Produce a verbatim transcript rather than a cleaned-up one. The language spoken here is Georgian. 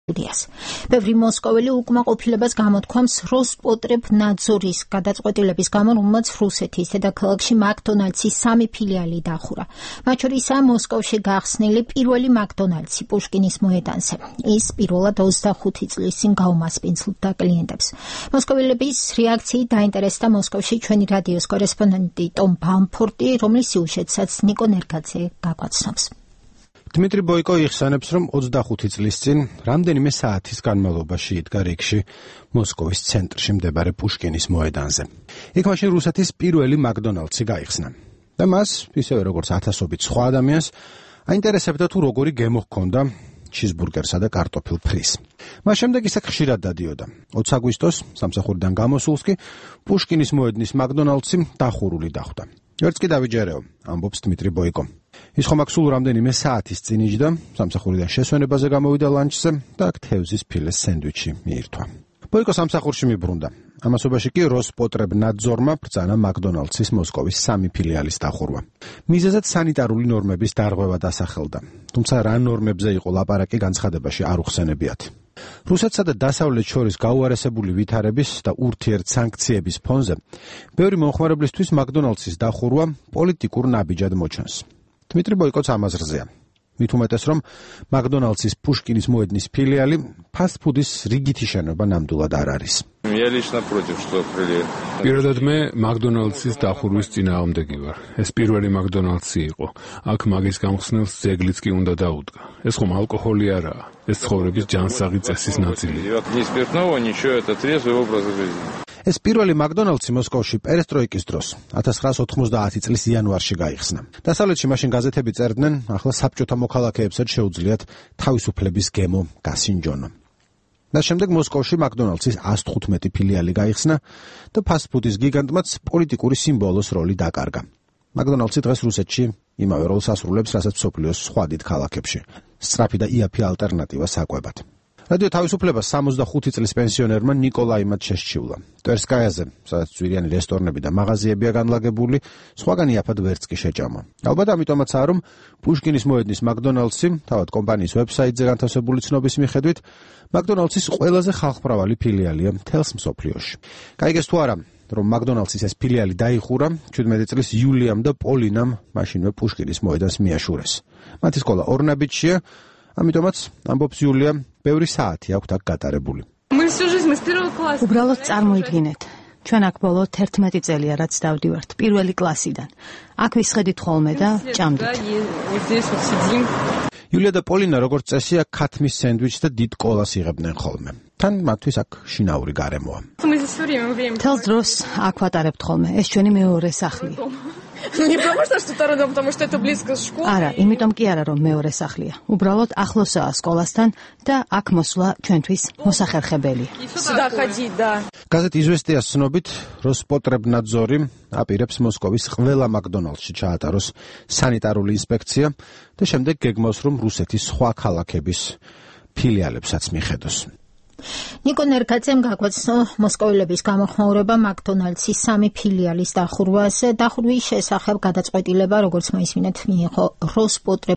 ბევრი მოსკოველი უკმაყოფილებას გამოთქვამს როსპოტრებნაძორის გადაწყვეტილების გამო, რომელმაც რუსეთის დედაქალაქში მაკდონალდსის სამი ფილიალი დახურა. მათ შორისაა მოსკოვში გახსნილი პირველი მაკდონალდსი პუშკინის მოედანზე. ის პირველად ოცდახუთი წლის წინ გაუმასპინძლდა კლიენტებს. მოსკოველების რეაქციით დაინტერესდა მოსკოვში ჩვენი რადიოს კორესპონდენტი ტომ ბამფორტი, რომლის სიუჟეტსაც ნიკო ნერგაძე გაგვაცნობს. დმიტრი ბოიკო იხსენებს, რომ ოცდახუთი წლის წინ რამდენიმე საათის განმავლობაში იდგა რიგში მოსკოვის ცენტრში მდებარე პუშკინის მოედანზე. იქ მაშინ რუსეთის პირველი მაკდონალდსი გაიხსნა. და მას, ისევე როგორც ათასობით სხვა ადამიანს, აინტერესებდა თუ როგორი გემო ჰქონდა ჩიზბურგერსა და კარტოფილ ფრის. მას შემდეგ ისე ხშირად დადიოდა. ოცი აგვისტოს სამსახურიდან გამოსულს კი პუშკინის მოედნის მაკდონალდსი დახურული დახვდა. ერთს კი დავიჯერეო, ამბობს დმიტრი ბოიკო. ის ხომ აქ სულ რამდენიმე საათის წინ იჯდა, სამსახურიდან შესვენებაზე გამოვიდა ლანჩზე და აქ თევზის ფილეს სენდვიჩი მიირთვა. ბოიკო სამსახურში მიბრუნდა. ამასობაში კი როსპოტრებნაძორმა ბრძანა მაკდონალდსის მოსკოვის სამი ფილიალის დახურვა. მიზეზად სანიტარული ნორმების დარღვევა დასახელდა. თუმცა რა ნორმებზე იყო ლაპარაკი, განცხადებაში არ უხსენებიათ. რუსეთსა და დასავლეთს შორის გაუარესებული ვითარების და ურთიერთსანქციების ფონზე ბევრი მომხმარებლისთვის მაკდონალდსის დახურვა პოლიტიკურ ნაბიჯად მოჩანს. დმიტრი ბოიკოც ამაზრზეა. მით უმეტეს, რომ მაკდონალდსის პუშკინის მოედნის ფილიალი ფასტფუდის რიგითი შენობა ნამდვილად არ არის. პირადად მე მაკდონალდსის დახურვის წინააღმდეგი ვარ. ეს პირველი მაკდონალდსი იყო. აქ მაგის გამხსნელს ძეგლიც კი უნდა დაუდგა. ეს ხომ ალკოჰოლი არაა. ეს ცხოვრების ჯანსაღი წესის ნაწილია. ეს პირველი მაკდონალდსი მოსკოვში პერესტროიკის დროს ათას ცხრაას ოთხმოცდაათი წლის იანვარში გაიხსნა. დასავლეთში მაშინ გაზეთები წერდნენ, ახლა საბჭოთა მოქალაქეებსაც შეუძლიათ თავისუფლების გემო გასინჯონო. და შემდეგ მოსკოვში მაკდონალდსის ას თხუთმეტი ფილიალი გაიხსნა და ფასტფუდის გიგანტმაც პოლიტიკური სიმბოლოს როლი დაკარგა. მაკდონალდსი დღეს რუსეთში იმავე როლს ასრულებს, რასაც მსოფლიოს სხვა დიდ ქალაქებში. სწრაფი და იაფი ალტერნატივა საკვებად. რადიო თავისუფლებას სამოცდახუთი წლის პენსიონერმა ნიკოლაიმად შესჩივლა. ტვერსკაიაზე, სადაც ძვირიანი რესტორნები და მაღაზიებია განლაგებული, სხვაგან იაფად ვერც კი შეჭამა. ალბათ ამიტომაცაა, რომ პუშკინის მოედნის მაკდონალდსი, თავად კომპანიის ვებსაიტზე განთავსებული ცნობის მიხედვით, მაკდონალდსის ყველაზე ხალხმრავალი ფილიალია მთელს მსოფლიოში. გაიგეს თუ არა, რომ მაკდონალდსის ეს ფილიალი დაიხურა ჩვიდმეტი წლის იულიამ და პოლინამ მაშინვე პუშკინის მოედანს მიაშურეს. მათი სკოლა ორნაბიჯშია, ამიტომაც ამბობს იულია, ბევრი საათი აქვთ აქ გატარებული. უბრალოდ წარმოიდგინეთ, ჩვენ აქ ბოლო თერთმეტი წელია რაც დავდივართ პირველი კლასიდან. აქ ვისხედით ხოლმე და ჭამდით. იულია და პოლინა როგორც წესია ქათმის სენდვიჩს და დიდ კოლას იღებდნენ ხოლმე. თან მათთვის აქ შინაური გარემოა. თელს დროს აქ ვატარებთ ხოლმე, ეს ჩვენი მეორე სახლია. არა, იმიტომ კი არა, რომ მეორე სახლია. უბრალოდ ახლოსაა სკოლასთან და აქ მოსვლა ჩვენთვის მოსახერხებელია. გაზეთ იზვესტიას ცნობით, როსპოტრებნაძორი აპირებს მოსკოვის ყველა მაკდონალდსში ჩაატაროს სანიტარული ინსპექცია და შემდეგ გეგმავს, რომ რუსეთის სხვა ქალაქების ფილიალებსაც მიხედოს. ნიკო ნერგაძემ გაგვაცნო მოსკოველების გამოხმაურება მაკდონალდსის სამი ფილიალის დახურვაზე. დახურვის შესახებ გადაწყვეტილება, როგორც მოისმინეთ, მიიღო როსპოტრებ